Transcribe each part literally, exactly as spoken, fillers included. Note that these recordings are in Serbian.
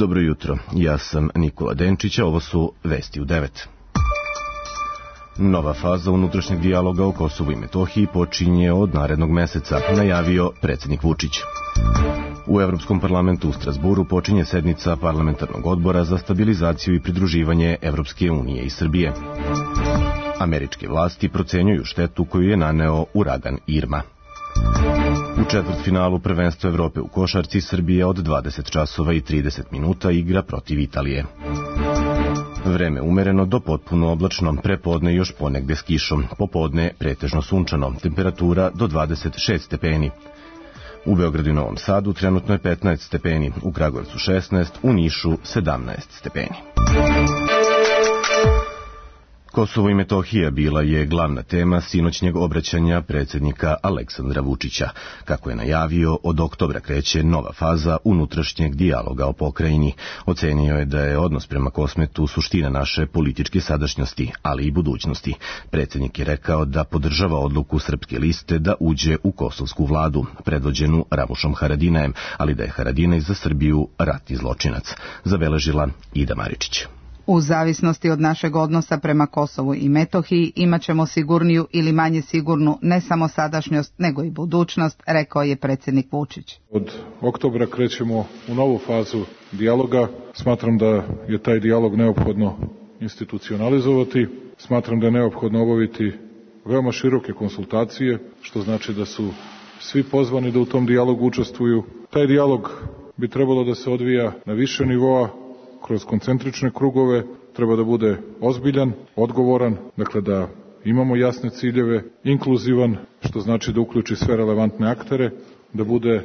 Dobro jutro, ja sam Nikola Denčić, a ovo su Vesti u devet. Nova faza unutrašnjeg dijaloga o Kosovu i Metohiji počinje od narednog meseca, najavio predsjednik Vučić. U Evropskom parlamentu u Strasburu počinje sednica parlamentarnog odbora za stabilizaciju i pridruživanje Evropske unije i Srbije. Američke vlasti procenjuju štetu koju je naneo uragan Irma. U četvrtfinalu prvenstva Evrope u košarci Srbija od dvadeset časova i trideset minuta igra protiv Italije. Vreme umereno do potpuno oblačno, prepodne još ponegde s kišom, popodne pretežno sunčano, temperatura do dvadeset šest stepeni. U Beogradu i Novom Sadu trenutno je petnaest stepeni, u Kragujevcu šesnaest, u Nišu sedamnaest stepeni. Kosovo i Metohija bila je glavna tema sinoćnjeg obraćanja predsjednika Aleksandra Vučića. Kako je najavio, od oktobra kreće nova faza unutrašnjeg dijaloga o pokrajini. Ocenio je da je odnos prema Kosmetu suština naše političke sadašnjosti, ali i budućnosti. Predsjednik je rekao da podržava odluku Srpske liste da uđe u kosovsku vladu, predvođenu Ramušom Haradinajem, ali da je Haradinaj za Srbiju ratni zločinac. Zabeležila Ida Maričić. U zavisnosti od našeg odnosa prema Kosovu i Metohiji imat ćemo sigurniju ili manje sigurnu ne samo sadašnjost, nego i budućnost, rekao je predsjednik Vučić. Od oktobra krećemo u novu fazu dijaloga. Smatram da je taj dijalog neophodno institucionalizovati. Smatram da je neophodno obaviti veoma široke konsultacije, što znači da su svi pozvani da u tom dijalogu učestvuju. Taj dijalog bi trebalo da se odvija na više nivoa, kroz koncentrične krugove, treba da bude ozbiljan, odgovoran, dakle da imamo jasne ciljeve, inkluzivan, što znači da uključi sve relevantne aktere, da bude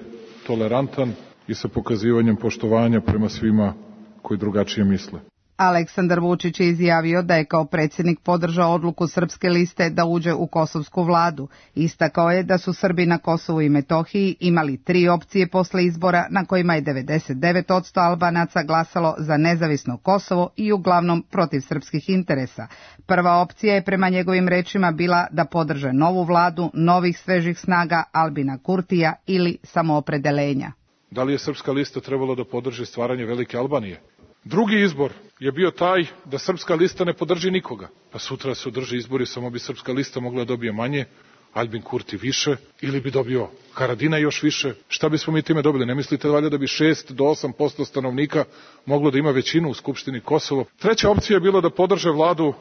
tolerantan i sa pokazivanjem poštovanja prema svima koji drugačije misle. Aleksandar Vučić je izjavio da je kao predsjednik podržao odluku Srpske liste da uđe u kosovsku vladu. Istakao je da su Srbi na Kosovu i Metohiji imali tri opcije posle izbora na kojima je devedeset devet posto Albanaca glasalo za nezavisno Kosovo i uglavnom protiv srpskih interesa. Prva opcija je prema njegovim rečima bila da podrže novu vladu, novih svežih snaga Albina Kurtija ili samoopredelenja. Da li je Srpska lista trebala da podrži stvaranje Velike Albanije? Drugi izbor je bio taj da Srpska lista ne podrži nikoga. Pa sutra se održe izbori, samo bi Srpska lista mogla da dobije manje, Albin Kurti više, ili bi dobio Haradinaj još više. Šta bismo mi time dobili? Ne mislite valjda da bi šest do osam posto stanovnika moglo da ima većinu u Skupštini Kosovo? Treća opcija je bila da podrže vladu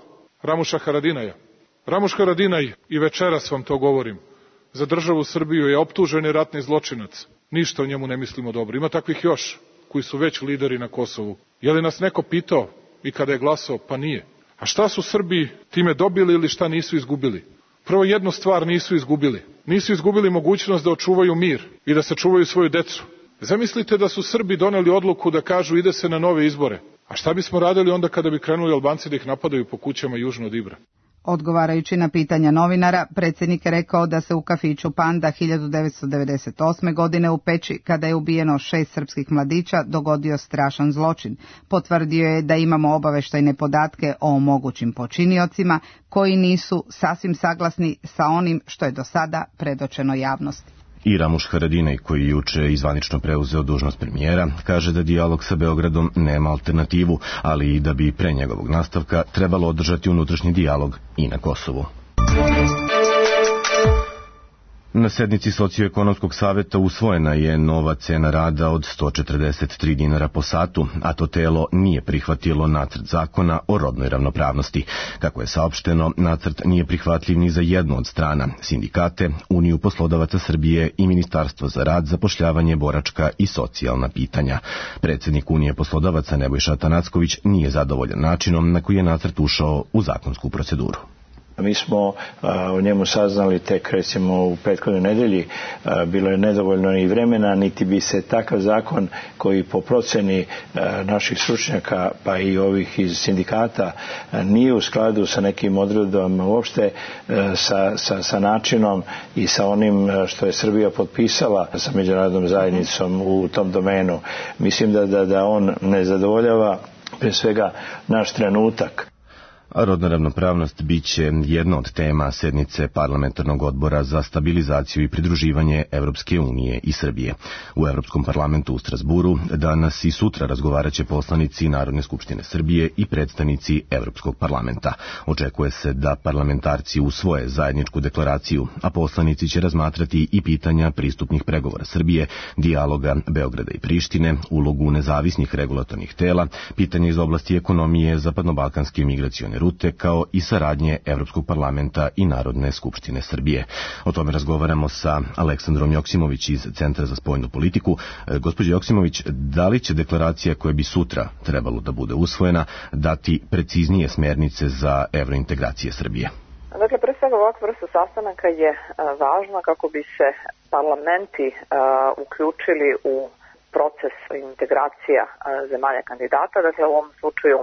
Ramuša Haradinaja. Ramuš Haradinaj, i večeras vam to govorim, za državu Srbiju je optuženi ratni zločinac. Ništa o njemu ne mislimo dobro. Ima takvih još koji su već lideri na Kosovu. Je li nas neko pitao i kada je glasao? Pa nije. A šta su Srbi time dobili ili šta nisu izgubili? Prvo, jednu stvar nisu izgubili. Nisu izgubili mogućnost da očuvaju mir i da sačuvaju svoju decu. Zamislite da su Srbi doneli odluku da kažu ide se na nove izbore. A šta bismo radili onda kada bi krenuli Albanci da ih napadaju po kućama južno od Ibra? Odgovarajući na pitanja novinara, predsjednik je rekao da se u kafiću Panda hiljadu devetsto devedeset osme. godine u Peći, kada je ubijeno šest srpskih mladića, dogodio strašan zločin. Potvrdio je da imamo obaveštajne podatke o mogućim počiniocima koji nisu sasvim saglasni sa onim što je do sada predočeno javnosti. I Ramuš Haradinaj, koji je juče izvanično preuzeo dužnost premijera, kaže da dijalog sa Beogradom nema alternativu, ali i da bi pre njegovog nastavka trebalo održati unutrašnji dijalog i na Kosovu. Na sednici Socioekonomskog saveta usvojena je nova cena rada od sto četrdeset tri dinara po satu, a to telo nije prihvatilo nacrt zakona o rodnoj ravnopravnosti. Kako je saopšteno, nacrt nije prihvatljiv ni za jednu od strana, sindikate, Uniju poslodavaca Srbije i Ministarstvo za rad, zapošljavanje, boračka i socijalna pitanja. Predsjednik Unije poslodavaca Nebojša Atanacković nije zadovoljan načinom na koji je nacrt ušao u zakonsku proceduru. Mi smo a, o njemu saznali tek recimo u prethodnoj nedelji, a, bilo je nedovoljno ni vremena, niti bi se takav zakon koji po proceni a, naših stručnjaka pa i ovih iz sindikata a, nije u skladu sa nekim odredbama uopšte a, sa, sa, sa načinom i sa onim što je Srbija potpisala sa međunarodnom zajednicom u tom domenu. Mislim da, da, da on ne zadovoljava pre svega naš trenutak. A rodna ravnopravnost bit će jedna od tema sednice Parlamentarnog odbora za stabilizaciju i pridruživanje Evropske unije i Srbije. U Evropskom parlamentu u Strasburu danas i sutra razgovarat će poslanici Narodne skupštine Srbije i predstavnici Evropskog parlamenta. Očekuje se da parlamentarci usvoje zajedničku deklaraciju, a poslanici će razmatrati i pitanja pristupnih pregovora Srbije, dijaloga Beograda i Prištine, ulogu nezavisnih regulatornih tela, pitanja iz oblasti ekonomije, zapadnobalkanske migracione rute, kao i saradnje Evropskog parlamenta i Narodne skupštine Srbije. O tome razgovaramo sa Aleksandrom Joksimović iz Centra za spoljnu politiku. Gospođo Joksimović, da li će deklaracija koja bi sutra trebalo da bude usvojena dati preciznije smernice za evrointegracije Srbije? Dakle, pre svega ovakva vrsta sastanaka je važna kako bi se parlamenti uključili u proces integracija zemalja kandidata, dakle u ovom slučaju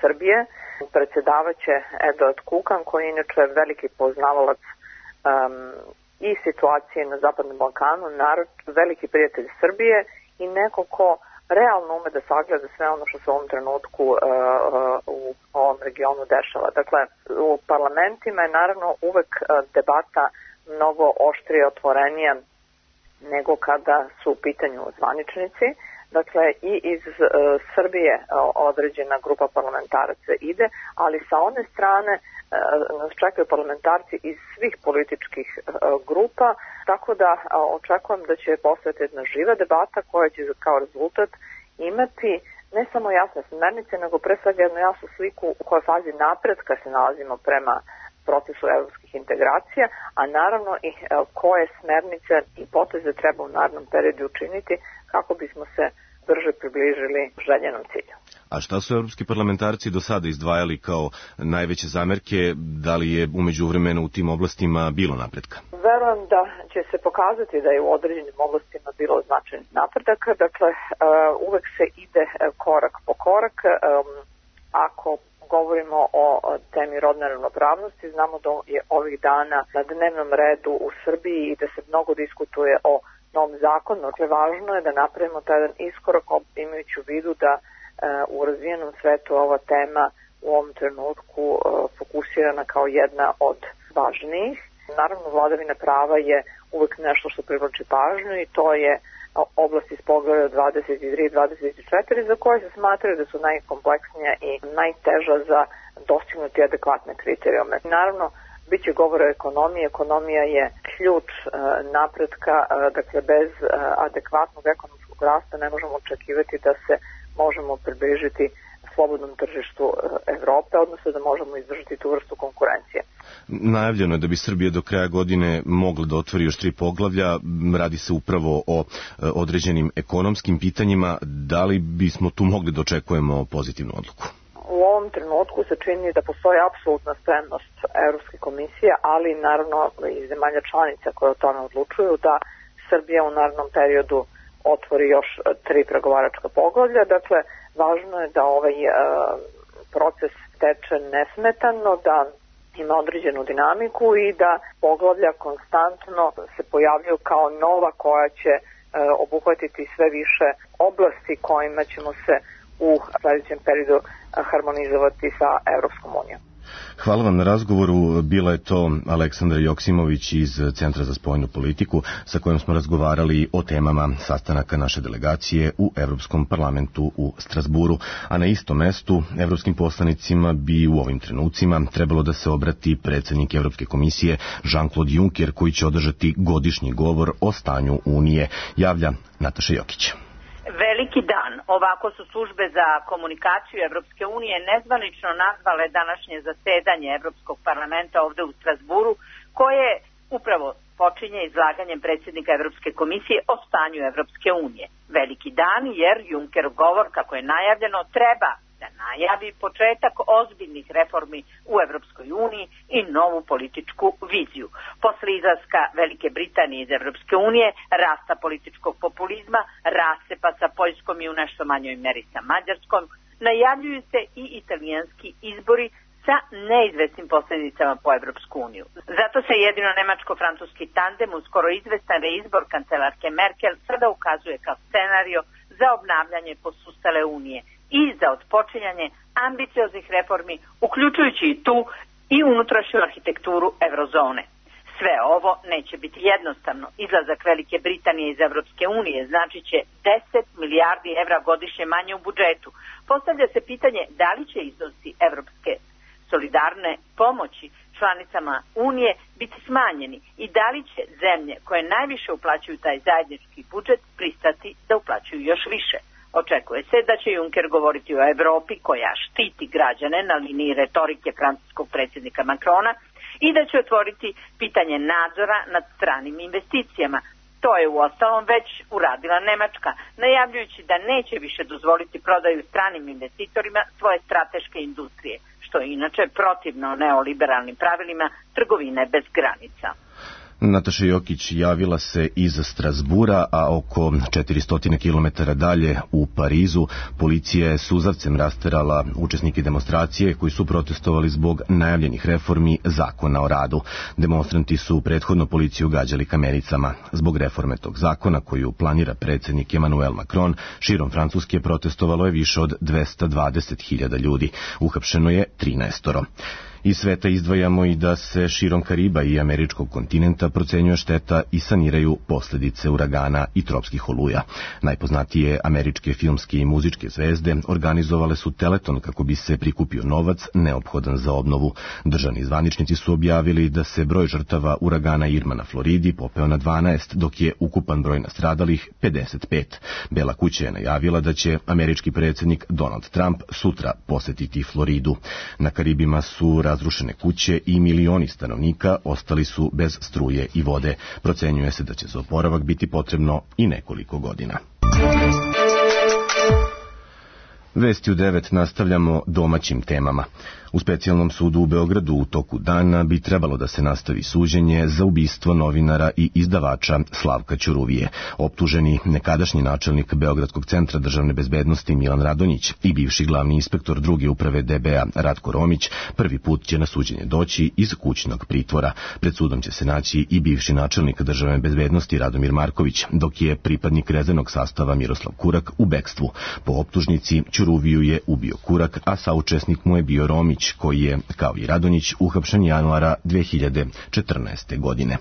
Srbije. Predsjedavaće Eduard Kukan, koji je inače veliki poznavalac um, i situacije na Zapadnom Balkanu, narod, veliki prijatelj Srbije i neko ko realno ume da sagleda sve ono što se u ovom trenutku uh, uh, u ovom regionu dešava. Dakle, u parlamentima je naravno uvek uh, debata mnogo oštrije, otvorenija nego kada su u pitanju zvaničnici. Dakle, i iz e, Srbije e, određena grupa parlamentaraca ide, ali sa one strane e, nas čekaju parlamentarci iz svih političkih e, grupa, tako da e, očekujem da će postojati jedna živa debata koja će kao rezultat imati ne samo jasne smernice, nego pre svega jednu jasnu sliku u kojoj fazi napretka se nalazimo prema procesu evropskih integracija, a naravno i e, koje smernice i poteze treba u narednom periodu učiniti kako bismo se brže približili željenom cilju. A šta su evropski parlamentarci do sada izdvajali kao najveće zamerke? Da li je umeđu vremenu u tim oblastima bilo napretka? Verujem da će se pokazati da je u određenim oblastima bilo značajnih napredaka. Dakle, uh, uvek se ide korak po korak. Um, ako govorimo o temi rodne ravnopravnosti, znamo da je ovih dana na dnevnom redu u Srbiji i da se mnogo diskutuje o novom zakonu. Dakle, važno je da napravimo taj jedan iskorak imajući u vidu da e, u razvijenom svetu ova tema u ovom trenutku e, fokusirana kao jedna od važnijih. Naravno, vladavina prava je uvek nešto što privlači pažnju i to je oblasti iz poglavlja dvadeset tri i dvadeset četiri za koje se smatraju da su najkompleksnija i najteža za dostignuti adekvatne kriterijume. Naravno, bit će govora o ekonomiji. Ekonomija je ključ e, napretka, e, dakle bez e, adekvatnog ekonomskog rasta ne možemo očekivati da se možemo približiti slobodnom tržištu Evrope, odnosno da možemo izdržati tu vrstu konkurencije. Najavljeno je da bi Srbija do kraja godine mogla da otvori još tri poglavlja. Radi se upravo o određenim ekonomskim pitanjima. Da li bismo tu mogli da očekujemo pozitivnu odluku? U ovom trenutku se čini da postoji apsolutna spremnost Evropske komisije, ali naravno i zemalja članica koje o tome odlučuju da Srbija u narednom periodu otvori još tri pregovaračka poglavlja. Dakle, važno je da ovaj e, proces teče nesmetano, da ima određenu dinamiku i da poglavlja konstantno se pojavljaju kao nova koja će e, obuhvatiti sve više oblasti kojima ćemo se u sledećem periodu harmonizovati sa Evropskom unijom. Hvala vam na razgovoru. Bila je to Aleksandra Joksimović iz Centra za spoljnu politiku sa kojom smo razgovarali o temama sastanaka naše delegacije u Evropskom parlamentu u Strasburu, a na istom mestu evropskim poslanicima bi u ovim trenucima trebalo da se obrati predsjednik Evropske komisije Jean-Claude Juncker, koji će održati godišnji govor o stanju Unije, javlja Nataša Jokić. Veliki dan. Ovako su službe za komunikaciju Evropske unije nezvanično nazvale današnje zasedanje Evropskog parlamenta ovde u Strasburu, koje upravo počinje izlaganjem predsjednika Evropske komisije o stanju Evropske unije. Veliki dan jer Junckerov govor, kako je najavljeno, treba da najavi početak ozbiljnih reformi u Evropskoj uniji i novu političku viziju. Posle izlaska Velike Britanije iz Evropske unije, rasta političkog populizma, rasepa sa Poljskom i u nešto manjoj meri sa Mađarskom, najavljuju se i italijanski izbori sa neizvesnim posljedicama po Evropsku uniju. Zato se jedino nemačko-francuski tandem, uskoro izvestan reizbor kancelarke Merkel, sada ukazuje kao scenario za obnavljanje posustale unije i za otpočinjanje ambicioznih reformi, uključujući i tu i unutrašnju arhitekturu eurozone. Sve ovo neće biti jednostavno. Izlazak Velike Britanije iz Evropske unije znači će deset milijardi evra godišnje manje u budžetu. Postavlja se pitanje da li će iznosi evropske solidarne pomoći članicama Unije biti smanjeni i da li će zemlje koje najviše uplaćuju taj zajednički budžet pristati da uplaćuju još više. Očekuje se da će Juncker govoriti o Evropi koja štiti građane na liniji retorike francuskog predsjednika Macrona i da će otvoriti pitanje nadzora nad stranim investicijama. To je uostalom već uradila Nemačka, najavljujući da neće više dozvoliti prodaju stranim investitorima svoje strateške industrije, što je inače protivno neoliberalnim pravilima trgovine bez granica. Nataša Jokić javila se iz Strasbura, a oko četiristo kilometara dalje u Parizu policija je suzavcem rasterala učesnike demonstracije koji su protestovali zbog najavljenih reformi zakona o radu. Demonstranti su prethodno policiju gađali kamenicama. Zbog reforme tog zakona koju planira predsjednik Emmanuel Macron, širom Francuske protestovalo je više od dvesta dvadeset hiljada ljudi. Uhapšeno je trinaestoro. Iz sveta izdvajamo i da se širom Kariba i američkog kontinenta procenjuje šteta i saniraju posljedice uragana i tropskih oluja. Najpoznatije američke filmske i muzičke zvezde organizovale su teleton kako bi se prikupio novac neophodan za obnovu. Državni zvaničnici su objavili da se broj žrtava uragana Irma na Floridi popeo na dvanaest, dok je ukupan broj nastradalih pedeset pet. Bela kuća je najavila da će američki predsjednik Donald Trump sutra posetiti Floridu. Na Karibima su razrušene kuće i milioni stanovnika ostali su bez struje i vode. Procenjuje se da će za oporavak biti potrebno i nekoliko godina. Vesti u devet nastavljamo domaćim temama. U specijalnom sudu u Beogradu u toku dana bi trebalo da se nastavi suđenje za ubistvo novinara i izdavača Slavka Ćuruvije. Optuženi nekadašnji načelnik Beogradskog centra državne bezbednosti Milan Radonjić i bivši glavni inspektor druge uprave D B A Ratko Romić prvi put će na suđenje doći iz kućnog pritvora. Pred sudom će se naći i bivši načelnik državne bezbednosti Radomir Marković, dok je pripadnik rezervnog sastava Miroslav Kurak u bekstvu. Po optužnici Ćuruviju je ubio Kurak, a saučesnik mu je bio Romić, koji je, kao i Radonjić, uhapšen januara dve hiljade četrnaeste. godine.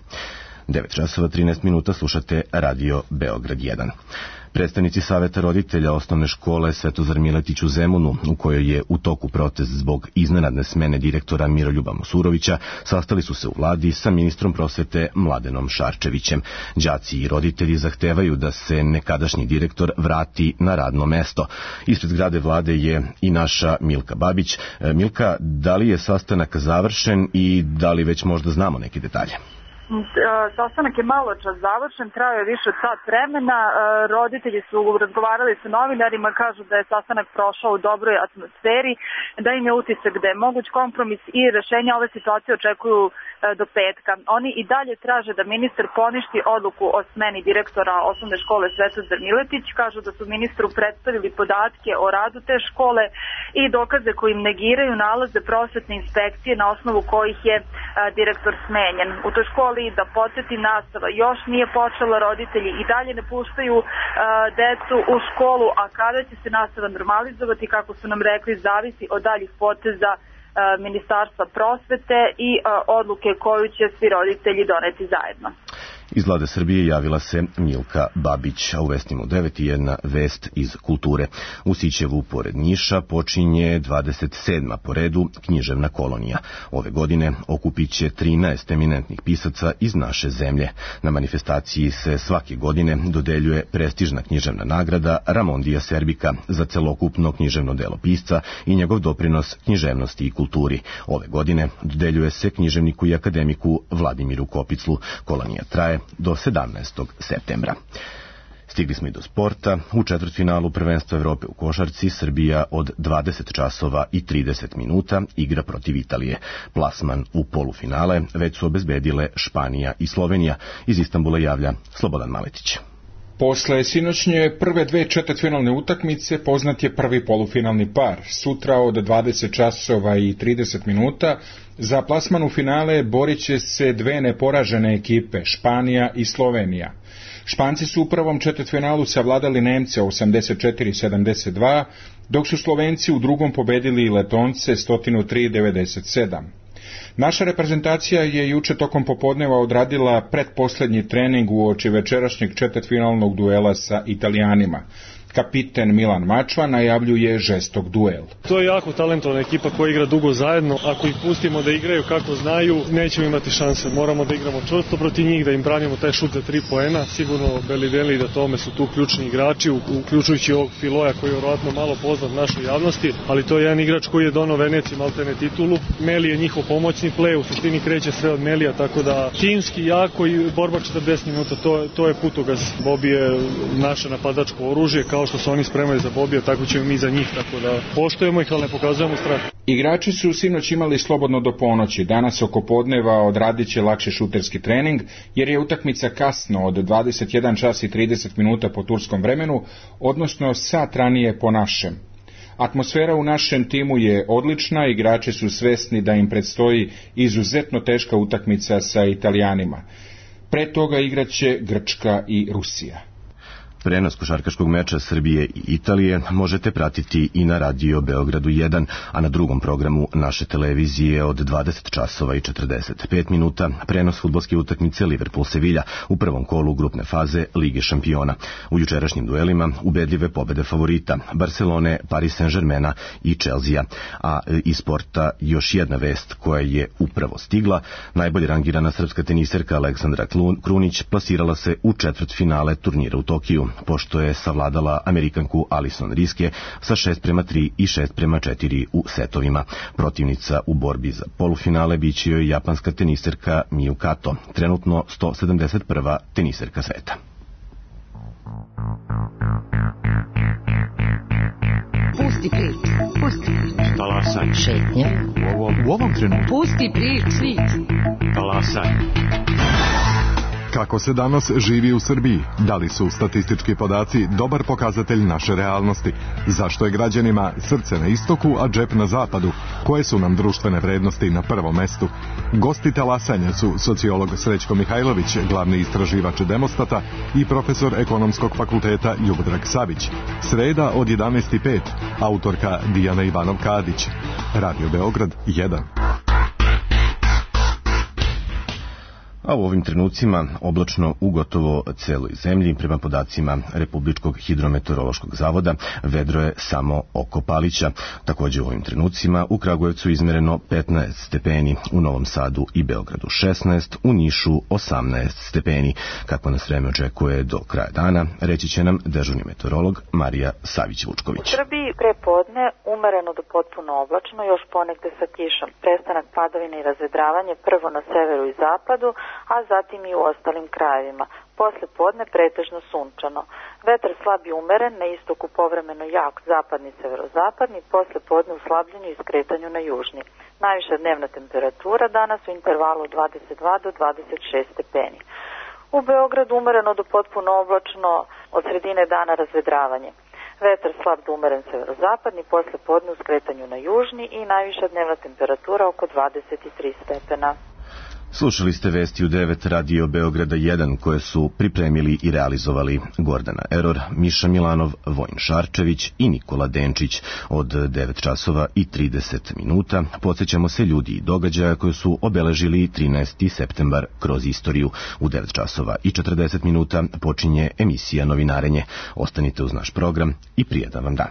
devet časova trinaest minuta slušate Radio Beograd jedan. Predstavnici Saveta roditelja osnovne škole Svetozar Miletić u Zemunu, u kojoj je u toku protest zbog iznenadne smene direktora Miroljuba Mosurovića, sastali su se u vladi sa ministrom prosvete Mladenom Šarčevićem. Đaci i roditelji zahtevaju da se nekadašnji direktor vrati na radno mesto. Ispred zgrade vlade je i naša Milka Babić. Milka, da li je sastanak završen i da li već možda znamo neke detalje? Sastanak je malo čas završen, trajao je više od sat vremena, roditelji su razgovarali sa novinarima, kažu da je sastanak prošao u dobroj atmosferi, da im je utisak da je moguć kompromis i rešenja ove situacije očekuju do petka. Oni i dalje traže da ministar poništi odluku o smeni direktora osnovne škole Svetozar Miletić, kažu da su ministru predstavili podatke o radu te škole i dokaze koji im negiraju nalaze prosvetne inspekcije na osnovu kojih je direktor smenjen. U toj školi, da podsjeti, nastava još nije počela, roditelji i dalje ne puštaju uh, decu u školu, a kada će se nastava normalizovati, kako su nam rekli, zavisi od daljih poteza uh, Ministarstva prosvete i uh, odluke koju će svi roditelji doneti zajedno. Iz vlade Srbije javila se Milka Babić, a u vestima u devet i jedna vest iz kulture. U Sićevu pored Niša počinje dvadeset sedma po redu književna kolonija. Ove godine okupit će trinaest eminentnih pisaca iz naše zemlje. Na manifestaciji se svake godine dodeljuje prestižna književna nagrada Ramondija Serbika za celokupno književno delo pisca i njegov doprinos književnosti i kulturi. Ove godine dodeljuje se književniku i akademiku Vladimiru Kopiclu. Kolonija traje do sedamnaestog septembra. Stigli smo i do sporta. U četvrtfinalu prvenstva Evrope u košarci Srbija od dvadeset časova i trideset minuta igra protiv Italije. Plasman u polufinale već su obezbedile Španija i Slovenija. Iz Istanbula javlja Slobodan Maletić. Posle sinoćnje prve dve četvrtfinalne utakmice poznat je prvi polufinalni par. Sutra od dvadeset časova i trideset minuta za plasman u finale borit će se dve neporažene ekipe, Španija i Slovenija. Španci su u prvom četvrtfinalu savladali Nemce osamdeset četiri sedamdeset dva, dok su Slovenci u drugom pobedili Letonce sto tri devedeset sedam. Naša reprezentacija je juče tokom popodneva odradila pretposlednji trening uoči večerašnjeg četvrtfinalnog duela sa Italijanima. Kapiten Milan Mačva najavljuje žestok duel. To je jako talentovana ekipa koja igra dugo zajedno. Ako ih pustimo da igraju kako znaju, nećemo imati šanse. Moramo da igramo čvrsto protiv njih, da im branimo taj šut za tri poena. Sigurno Belideli i da tome su tu ključni igrači, uključujući ovog Filoja koji je vjerojatno malo poznat našoj javnosti, ali to je jedan igrač koji je donao Veneciji maltene titulu. Meli je njihov pomoćni play, u suštini kreće sve od Melija, tako da timski jako i borba četrdeset minuta, to, to je putokaz. Bobi je naše napadačko oružje, kao što se oni spremaju za Bobija, tako ćemo mi za njih, tako da poštujemo ih, ali ne pokazujemo strah. Igrači su sinoć imali slobodno do ponoći. Danas oko podneva odradit će lakše šuterski trening, jer je utakmica kasno od dvadeset jedan čas i trideset minuta po turskom vremenu, odnosno sat ranije po našem. Atmosfera u našem timu je odlična, igrači su svesni da im predstoji izuzetno teška utakmica sa Italijanima. Pre toga igraće Grčka i Rusija. Prenos košarkaškog meča Srbije i Italije možete pratiti i na Radio Beogradu jedan, a na drugom programu naše televizije od dvadeset časova i četrdeset pet minuta prenos fudbalske utakmice Liverpool-Sevilja u prvom kolu grupne faze Lige šampiona. U jučerašnjim duelima ubedljive pobede favorita Barcelone, Paris Saint-Germaina i Chelsea. A iz sporta još jedna vest koja je upravo stigla. Najbolje rangirana srpska teniserka Aleksandra Krunić plasirala se u četvrtfinale turnira u Tokiju, pošto je savladala Amerikanku Alison Riske sa šest prema tri i šest prema četiri u setovima. Protivnica u borbi za polufinale biće joj japanska teniserka Miyu Kato, trenutno sto sedamdeset prva teniserka sveta. Pusti prič, pusti prič. Talasaj. Šetnja. U ovom, u ovom trenutku. Pusti prič, prič. Talasaj. Kako se danas živi u Srbiji? Da li su statistički podaci dobar pokazatelj naše realnosti? Zašto je građanima srce na istoku, a džep na zapadu? Koje su nam društvene vrednosti na prvom mestu? Gosti talasanja su sociolog Srećko Mihajlović, glavni istraživač Demostata, i profesor Ekonomskog fakulteta Ljubodrag Savić. Sreda od jedanaest i pet, autorka Dijana Ivanov-Kadić. Radio Beograd jedan. A u ovim trenucima oblačno u gotovo celoj zemlji, prema podacima Republičkog hidrometeorološkog zavoda, vedro je samo oko Palića. Također u ovim trenucima u Kragujevcu izmereno petnaest stepeni, u Novom Sadu i Beogradu šesnaest, u Nišu osamnaest stepeni. Kako nas vreme očekuje do kraja dana, reći će nam dežurni meteorolog Marija Savić-Vučković. U Srbiji prepodne umereno do potpuno oblačno, još ponegde sa kišom. Prestanak padavina i razvedravanje prvo na severu i zapadu, a zatim i u ostalim krajevima. Posle podne pretežno sunčano. Vetar slab i umeren, na istoku povremeno jak zapadni i severozapadni, posle podne u slabljenju i skretanju na južni. Najviša dnevna temperatura danas u intervalu dvadeset dva do dvadeset šest stepeni. U Beogradu umereno do potpuno oblačno, od sredine dana razvedravanje. Vetar slab do umeren severozapadni, posle podne u skretanju na južni i najviša dnevna temperatura oko dvadeset tri stepena. Slušali ste vesti u devet Radio Beograda jedan koje su pripremili i realizovali Gordana Eror, Miša Milanov, Vojin Šarčević i Nikola Denčić. Od devet časova i trideset minuta podsjećamo se ljudi i događaja koje su obeležili trinaesti septembar kroz istoriju. U devet časova i četrdeset minuta počinje emisija Novinarenje. Ostanite uz naš program i prijetan vam dan.